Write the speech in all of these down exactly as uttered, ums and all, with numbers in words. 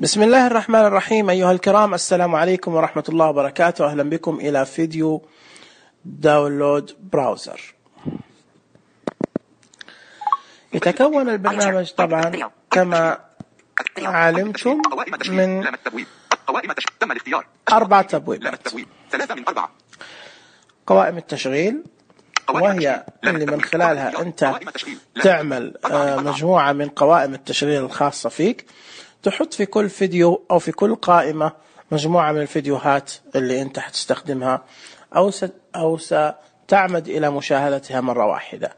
بسم الله الرحمن الرحيم. أيها الكرام، السلام عليكم ورحمة الله وبركاته. أهلا بكم إلى فيديو داونلود براوزر. يتكون البرنامج طبعا كما علمتم من أربع تبويبات. قوائم التشغيل، وهي اللي من خلالها أنت تعمل مجموعة من قوائم التشغيل الخاصة فيك، تحط في كل فيديو أو في كل قائمة مجموعة من الفيديوهات اللي أنت حتستخدمها أو أو ستعمد إلى مشاهدتها مرة واحدة،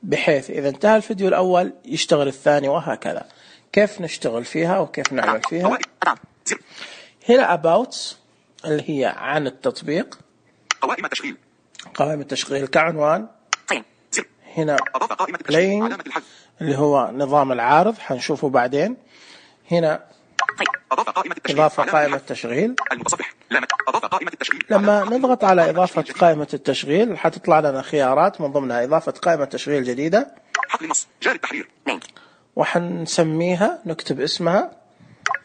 بحيث إذا انتهى الفيديو الأول يشتغل الثاني وهكذا. كيف نشتغل فيها وكيف نعمل فيها؟ هنا about اللي هي عن التطبيق، قوائم التشغيل قوائم التشغيل كعنوان. هنا playing اللي هو نظام العارض، حنشوفه بعدين. هنا إضافة قائمة التشغيل. لما نضغط على إضافة قائمة التشغيل حتطلع لنا خيارات، من ضمنها إضافة قائمة تشغيل جديدة، حقل نص جاري التحرير، وحنسميها نكتب اسمها،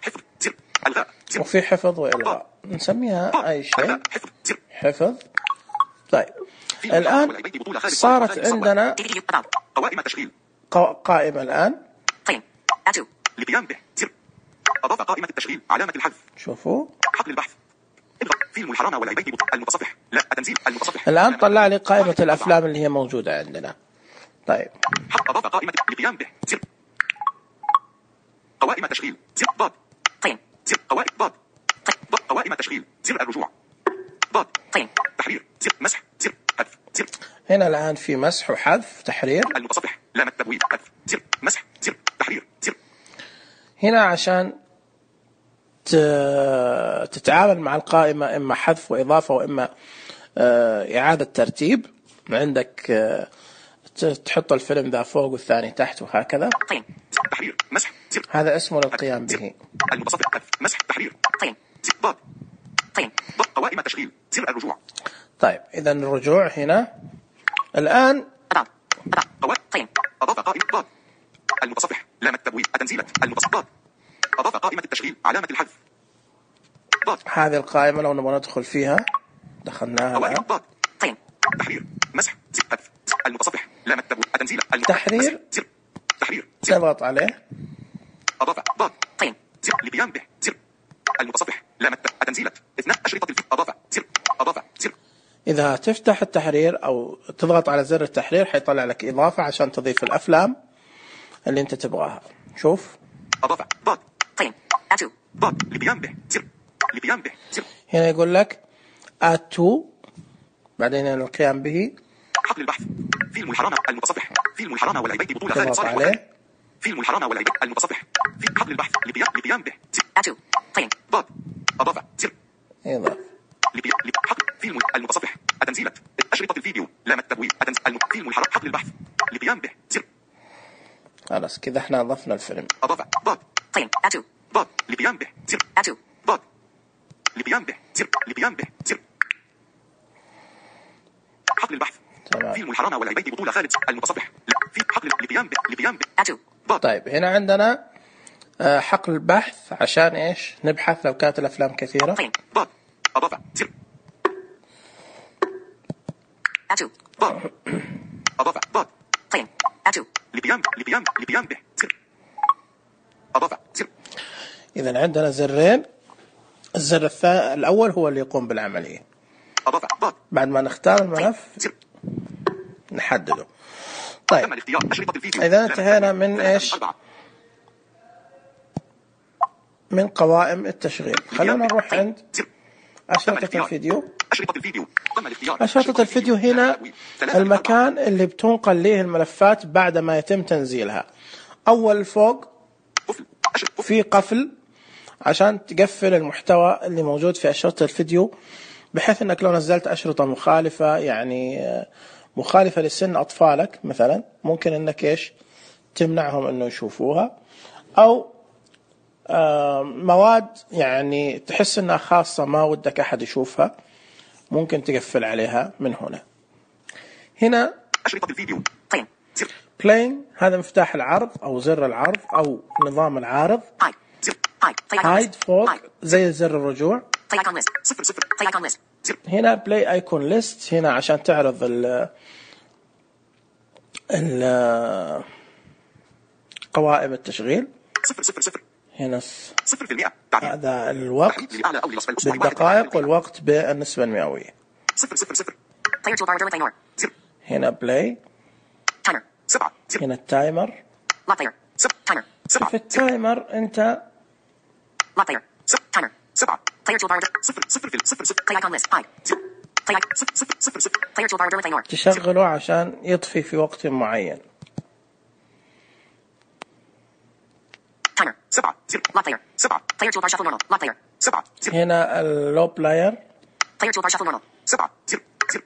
حفظ زر الغاء زر، وفي حفظ وإلغاء نسميها أي شيء، حفظ. طيب الآن صارت عندنا قوائم التشغيل قائمة الآن لقيام به زر. أضاف قائمة التشغيل علامة الحذف. شوفوا حقل البحث، فيلم الحرامة والعبيد المتصفح، لا التنزيل المتصفح. الآن طلع لي قائمة الأفلام اللي هي موجودة عندنا. طيب أضاف قائمة لقيام به زر. قوائم التشغيل زر ضاد زر قوائم ضاد ضاد قوائم التشغيل زر الرجوع ضاد تحرير زر مسح زر حذف زر. هنا الآن في مسح وحذف تحرير المتصفح، لام التبويب حذف زر مسح زر تحرير زر. هنا عشان تتعامل مع القائمة إما حذف وإضافة وإما إعادة ترتيب، عندك تحط الفيلم ذا فوق والثاني تحت وهكذا. تحرير مسح زر، هذا اسمه للقيام به. المتصفح حذف مسح تحرير زر ضاد ضاد قوائم التشغيل زر الرجوع. طيب إذا الرجوع هنا الآن أضاف قائمة ضاد المتصفح، لام التبويب التنزيلة المتصفح ضاد. أضاف قائمة التشغيل علامة الحذف ضاد. هذه القائمة لو نبغى ندخل فيها دخلناها الآن. ضاد تحرير مسح زر حذف المتصفح، لام التبويب التنزيلة تحرير زر تحرير نضغط عليه. أضاف ضاد زر لقيام به زر المتصفح، لام التنزيلة اثنان أشرطة الفيديو. أضاف زر أضاف زر. إذا تفتح التحرير أو تضغط على زر التحرير حيطلع لك إضافة عشان تضيف الأفلام اللي أنت تبغاها. شوف أضاف ضاد ضاد لقيام به زر لقيام به زر. هنا يقول لك add to، بعدين القيام به. حقل البحث، فيلم الحرامة المتصفح، فيلم الحرامة والعبيد بطولة خالد تضغط صالح عليه. فيلم الحرامة والعبيد المتصفح، في حقل البحث لقيام لقيام به زر ضاد. أضاف زر إضافة حقل فيلم المتصفح التنزيلة أشرطة الفيديو، لام التبويب فيلم الحرامة حقل البحث لقيام به زر. خلاص كذا احنا أضفنا الفيلم. أضاف ضاد ضاد لقيام به زر ضاد لقيام به زر لقيام به زر. حقل البحث، تمام. فيلم الحرامة والعبيد بطولة خالد المتصفح، في حقل لقيام به لقيام به ضاد. طيب هنا عندنا حقل البحث عشان إيش نبحث لو كانت الأفلام كثيرة. ضاد أضاف زر ضاد أضاف ضاد لقيام لقيام لقيام به زر. أضاف زر. إذا عندنا زرين، الزر الثاني الأول هو اللي يقوم بالعملية. أضاف ضاد بعد ما نختار الملف زر نحدده. طيب تم الاختيار أشرطة الفيديو. إذا انتهينا من إيش من قوائم التشغيل، خلونا نروح عند أشرطة الفيديو. أشرطة الفيديو تم الاختيار. أشرطة الفيديو هنا المكان اللي بتنقل ليه الملفات بعد ما يتم تنزيلها. أول فوق في قفل عشان تقفل المحتوى اللي موجود في أشرطة الفيديو، بحيث أنك لو نزلت أشرطة مخالفة، يعني مخالفة لسن أطفالك مثلا، ممكن أنك إيش تمنعهم أنه يشوفوها، أو مواد يعني تحس أنها خاصة ما ودك أحد يشوفها، ممكن تقفل عليها من هنا. هنا أشرطة الفيديو playing، هذا مفتاح العرض أو زر العرض أو نظام العارض. هايد فوق زي زر الرجوع. play icon list صفر صفر play icon list زر هنا بلاي ايكون ليست هنا عشان تعرض ال ال قوائم التشغيل. صفر صفر صفر هنا صفر في المئة. هذا الوقت للأعلى أو للأسفل أسبوع واحد. بالدقائق والوقت بالنسبة المئوية. صفر صفر صفر player toolbar Derwent More زر هنا بلاي. timer سبعة زر هنا التايمر. lock player سب timer سبعة في التايمر انت lock player سب timer سبعة player toolbar صفر صفر في صفر صفر play icon list hide زر play icon صفر صفر صفر صفر player toolbar Derwent More تشغله عشان يطفي في وقت معين. timer سبعة زر lock player سبعة player toolbar shuffle normal lock player سبعة زر هنا اللو بلاير. player toolbar shuffle normal سبعة زر زر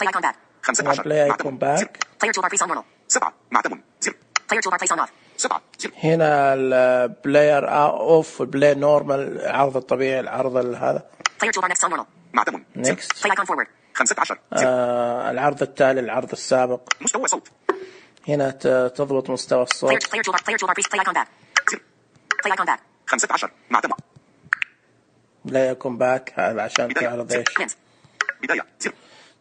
play icon back خمسة عشر بلاي ايكون باك. player toolbar face on normal سبعة معتم زر player toolbar face on off سبعة زر هنا البلاير اوف والبلاي نورمال العرض الطبيعي العرض هذا. player toolbar next on normal معتم Next. play icon forward خمسة عشر آه العرض التالي العرض السابق. مستوى صوت هنا ت- تضبط مستوى player الصوت. player toolbar player toolbar face play icon back زر play icon back خمسة عشر معتم بلاي ايكون باك هذا عشان بداية تعرض زر ايش. Lens. بداية زر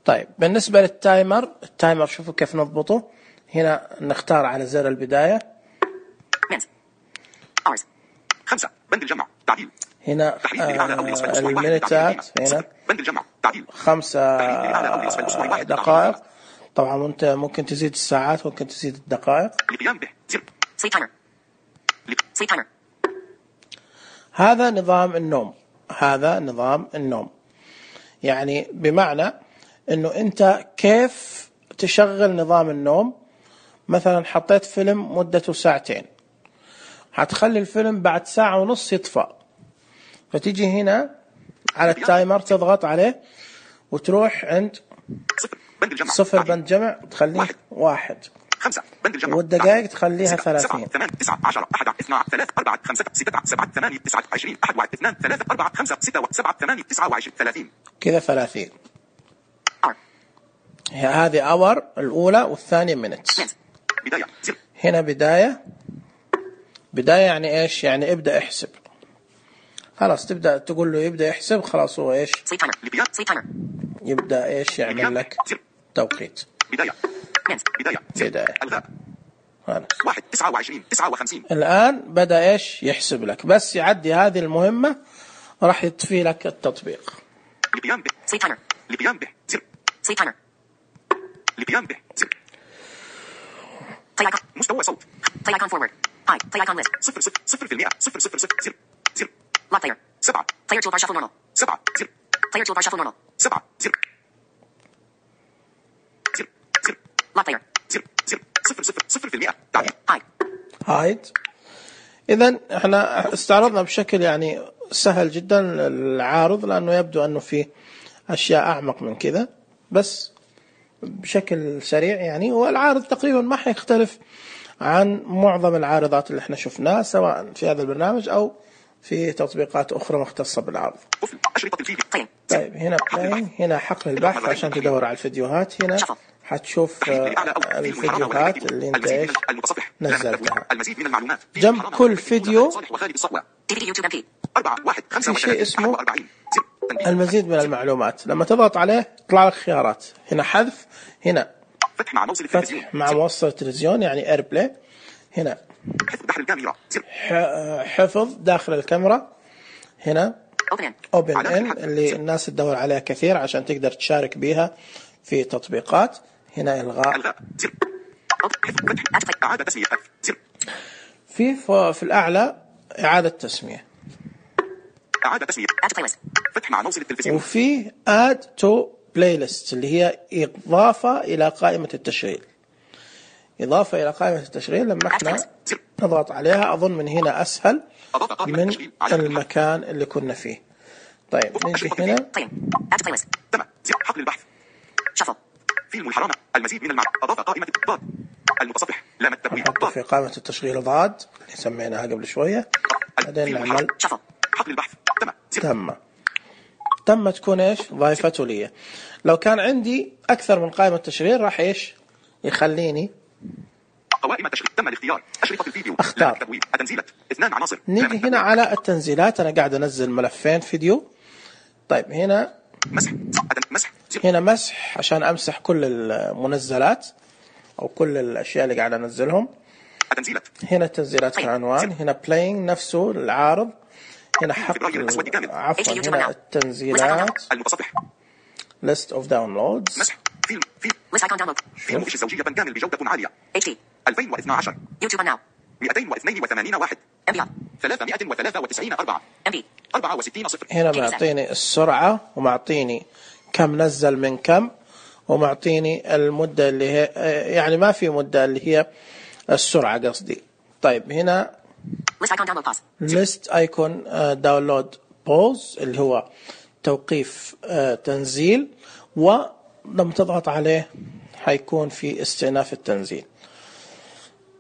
طيب بالنسبة للتايمر التايمر شوفوا كيف نضبطه. هنا نختار على زر البداية. Lens. hours خمسة بند الجمع تعديل هنا تحديد للأعلى أو للأسفل آه أسبوع واحد. المينتات تعديل. هنا صفر. بند الجمع تعديل خمسة تحديد للأعلى أو للأسفل أسبوع واحد. دقائق. طبعا انت ممكن تزيد الساعات ممكن تزيد الدقائق. القيام به زر sleep timer sleep timer هذا نظام النوم. هذا نظام النوم يعني بمعنى انه انت كيف تشغل نظام النوم. مثلا حطيت فيلم مدته ساعتين هتخلي الفيلم بعد ساعة ونص يطفى فتيجي هنا على التايمر تضغط عليه وتروح عند صفر بند الجمع صفر تعديل. بند جمع تخليه واحد. واحد خمسة بند الجمع والدقائق تخليها ستة، ثلاثين. سبعة ثمان تسعة عشرة أحد اثنان ثلاث أربعة خمسة ستة سبعة ثمانية تسعة عشرين أحد واحد اثنان ثلاثة أربعة خمسة ستة سبعة ثمانية تسعة وعشرين ثلاثين كذا ثلاثين. R هذه اور الأولى والثانية minutes. Lens. بداية زر هنا بداية. بداية يعني إيش؟ يعني ابدأ احسب. خلاص تبدأ تقول له يبدأ يحسب خلاص هو إيش؟ sleep timer لبيان sleep timer يبدأ إيش يعمل لك زر توقيت. بداية Lens. بداية زر بداية. الغاء خلاص. واحد تسعة وعشرين تسعة وخمسين الآن بدأ إيش يحسب لك بس يعدي هذه المهمة راح يطفي لك التطبيق. لبيان به sleep timer لبيان به زر sleep timer لبيان به زر play icon مستوى صوت play icon forward hide play icon list صفر صفر صفر في المئة صفر صفر صفر زر زر lock player سبعة player toolbar shuffle normal سبعة زر player toolbar shuffle normal سبعة زر زر زر lock player زر زر صفر صفر صفر في المئة تعديل hide هايد. إذا احنا استعرضنا بشكل يعني سهل جدا العارض لأنه يبدو أنه في أشياء أعمق من كذا بس بشكل سريع يعني. والعارض تقريبا ما حيختلف عن معظم العارضات اللي احنا شفناها سواء في هذا البرنامج أو في تطبيقات أخرى مختصة بالعرض. قفل أشرطة الفيديو play طيب هنا بلاي. هنا حقل البحث عشان تدور على الفيديوهات. هنا حتشوف الفيديوهات اللي انت ايش نزلتها. المزيد من المعلومات جنب كل فيديو في شيء اسمه المزيد من المعلومات. لما تضغط عليه يطلع لك خيارات. هنا حذف. هنا فتح مع موصل التلفزيون فتح مع موصل التلفزيون يعني اير بلاي. هنا حفظ داخل الكاميرا حفظ داخل الكاميرا. هنا اوبن ان اللي الناس تدور عليها كثير عشان تقدر تشارك بيها في تطبيقات. هنا الغاء. إعادة تسمية في في الأعلى إعادة تسمية. إعادة تسمية فتح مع موصل التلفزيون. وفي add to playlist اللي هي إضافة إلى قائمة التشغيل. إضافة إلى قائمة التشغيل لما احنا نضغط عليها أظن من هنا أسهل من المكان اللي كنا فيه. طيب نجي هنا. تم حقل البحث شفل فيلم الحرامة المزيد من المعلومات. أضاف قائمة ضاد المتصفح لام التبويب نحط في قائمة التشغيل ضاد اللي سميناها قبل شوية. بعدين نعمل شفل حقل البحث تم تم تم تكون ايش ضايفته لي. لو كان عندي أكثر من قائمة تشغيل راح ايش يخليني قوائم التشغيل. تم الاختيار. أشرطة الفيديو. اختار. التدوين. التنزيلات. اثنان عناصر. نيجي هنا على التنزيلات. أنا قاعد أنزل ملفين فيديو. طيب هنا مسح. مسح. هنا مسح عشان أمسح كل المنزلات أو كل الأشياء اللي قاعد أنزلهم. التنزيلات. هنا التنزيلات في العنوان. هنا playing نفسه العارض. هنا حق عفوا هنا التنزيلات. المتصفح. list of downloads. مسح. فيلم. فيلم. list icon download. فيلم فيش الزوجية كامل بجودة عالية. اتش دي. ألفين واثني عشر. يوتيوب ناو. مئتين واثنين وثمانين واحد. ام بي ثلاثمائة وثلاثة وتسعين أربعة. ام بي أربعة وستين صفر. هنا معطيني السرعة ومعطيني كم نزل من كم ومعطيني المدة اللي هي يعني ما في مدة اللي هي السرعة قصدي. طيب هنا list icon download pause اللي هو توقيف تنزيل ولما تضغط عليه حيكون في استئناف التنزيل.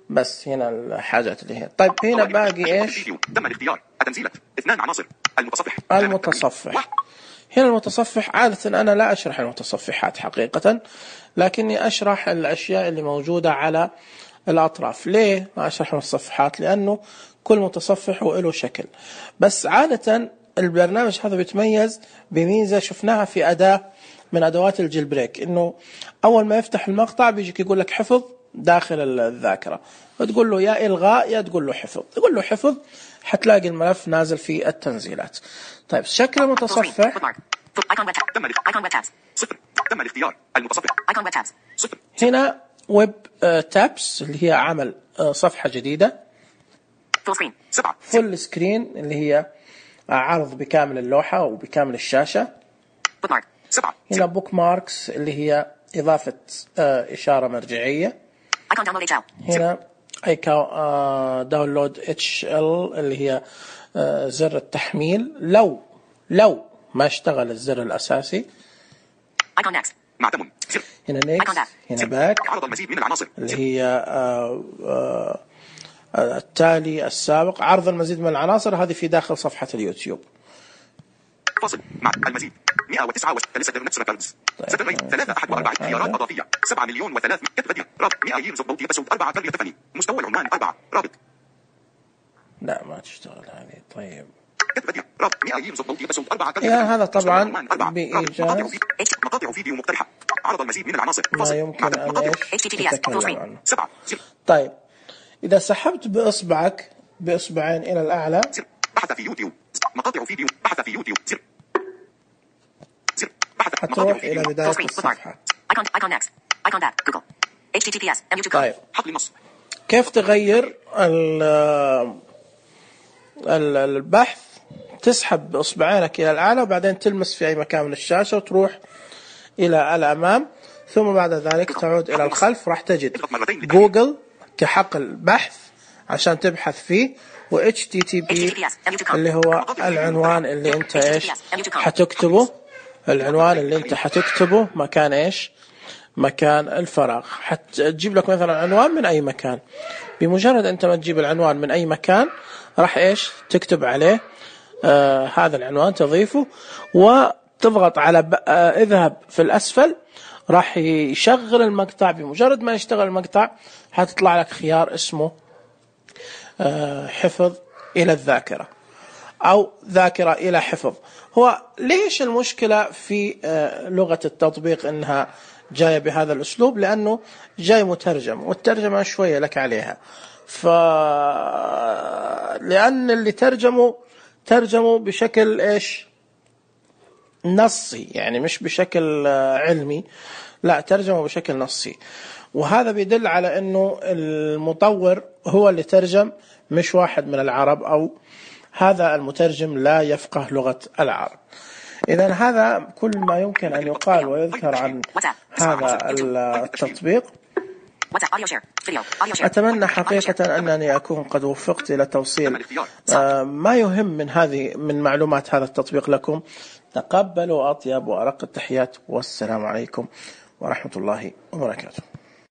بس هنا الحاجات اللي هي. طيب هنا باقي ايش؟ تم الاختيار. التنزيلات. اثنان عناصر. المتصفح. المتصفح. هنا المتصفح عادة أنا لا أشرح المتصفحات حقيقة لكني أشرح الأشياء اللي موجودة على الأطراف. ليه ما أشرح المتصفحات؟ لأنه كل متصفح هو له شكل. بس عادة البرنامج هذا بيتميز بميزة شفناها في أداة من أدوات الجيل بريك، إنه أول ما يفتح المقطع بيجيك يقول لك حفظ داخل الذاكرة، وتقول له يا إلغاء يا تقول له حفظ. تقول له حفظ حتلاقي الملف نازل في التنزيلات. طيب شكل المتصفح. تم الاختيار. المتصفح. هنا ويب تابس اللي هي عمل صفحة جديدة. فول سكرين اللي هي عرض بكامل اللوحة وبكامل الشاشة. هنا بوك ماركس اللي هي إضافة إشارة مرجعية. هنا داونلود اتش ال اللي هي زر التحميل لو لو ما اشتغل الزر الأساسي. هنا نيكس. هنا باك عرض المزيد من العناصر اللي هي آآ آآ التالي السابق. عرض المزيد من العناصر هذه في داخل صفحة اليوتيوب. فاصل مع المزيد مئة وتسعة لسه نتس ريكوردز ثلاثة أحد وأربعين خيارات إضافية سبعة مليون وثلاث كتب بديع رابط مئة يمز بوتي بسود أربعة تربية تفني مستوى العنوان أربعة رابط. لا ما تشتغل هذه. طيب كتب بديع رابط مئة يمز بوتي بسود أربعة تربية تفني. هذا طبعا بإيجاز مقاطع فيديو مقترحة. عرض المزيد من العناصر ما يمكن أن إيش تتكلم عنه. سبعة. طيب إذا سحبت بإصبعك بإصبعين إلى الأعلى بحث في يوتيوب مقاطع فيديو بحث في يوتيوب زر زر بحث حتروح إلى بداية الصفحة. طيب حقل النص. كيف تغير البحث؟ تسحب بإصبعينك إلى الأعلى وبعدين تلمس في أي مكان من الشاشة وتروح إلى الأمام، ثم بعد ذلك تعود إلى الخلف. راح تجد جوجل كحقل بحث عشان تبحث فيه، و إتش تي تي بي اللي هو العنوان اللي انت ايش حتكتبه. العنوان اللي انت حتكتبه مكان ايش مكان الفراغ. حتجيب لك مثلا عنوان من اي مكان. بمجرد انت ما تجيب العنوان من اي مكان راح ايش تكتب عليه آه هذا العنوان، تضيفه وتضغط على آه اذهب في الاسفل، راح يشغل المقطع. بمجرد ما يشتغل المقطع حتطلع لك خيار اسمه آه حفظ الى الذاكرة او ذاكرة الى حفظ. هو ليش المشكلة في آه لغة التطبيق انها جاية بهذا الاسلوب؟ لانه جاي مترجم، والترجمة شوية لك عليها. ف لان اللي ترجموا ترجموا بشكل ايش نصي، يعني مش بشكل علمي، لا ترجموا بشكل نصي. وهذا بيدل على انه المطور هو اللي ترجم مش واحد من العرب، او هذا المترجم لا يفقه لغة العرب. اذا هذا كل ما يمكن ان يقال ويذكر عن هذا التطبيق. أتمنى حقيقة أنني أكون قد وفقت إلى توصيل ما يهم من هذه من معلومات هذا التطبيق لكم. تقبلوا أطيب وأرق التحيات، والسلام عليكم ورحمة الله وبركاته.